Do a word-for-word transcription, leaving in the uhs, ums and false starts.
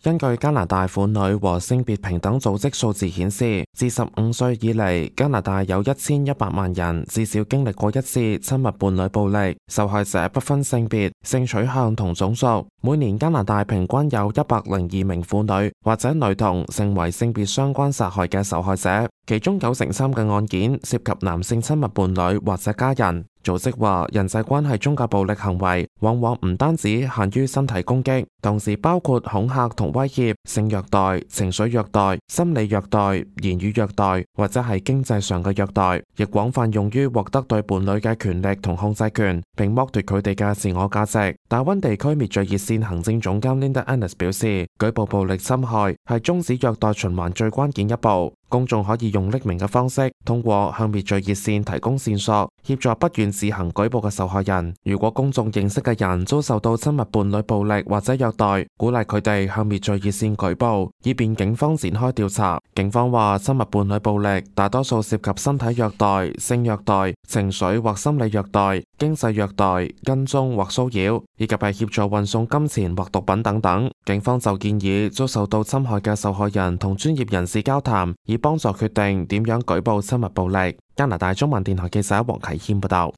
根據加拿大婦女和性別平等組織數字顯示，自十五歲以嚟，加拿大有一千一百萬人至少經歷過一次親密伴侶暴力，受害者不分性別、性取向同種族。每年加拿大平均有一百零二名婦女或者女童成為性別相關殺害嘅受害者，其中九成三嘅案件涉及男性親密伴侶或者家人。組織話，人際關係中嘅暴力行為往往唔單止限於身體攻擊，同時包括恐嚇同威脅、性虐待、情緒虐待、心理虐待、言語虐待或者係經濟上嘅虐待，亦廣泛用於獲得對伴侶嘅權力同控制權，並剝奪佢哋嘅自我價值。大溫地區滅罪熱線行政總監 Linda Ennis 表示，舉報暴力侵害係終止虐待循環最關鍵一步。公眾可以用匿名嘅方式，通過向滅罪熱線提供線索，協助不願自行舉報嘅受害人。如果公眾認識嘅人遭受到親密伴侶暴力或者虐待，鼓勵佢哋向滅罪熱線舉報，以便警方展開調查。警方話，親密伴侶暴力大多數涉及身體虐待、性虐待、情緒或心理虐待、經濟虐待、跟蹤或騷擾，以及係協助運送金錢或毒品等等。警方就建議遭受到侵害嘅受害人同專業人士交談，以幫助決定點樣舉報親密暴力。加拿大中文電台記者黃啟謙報道。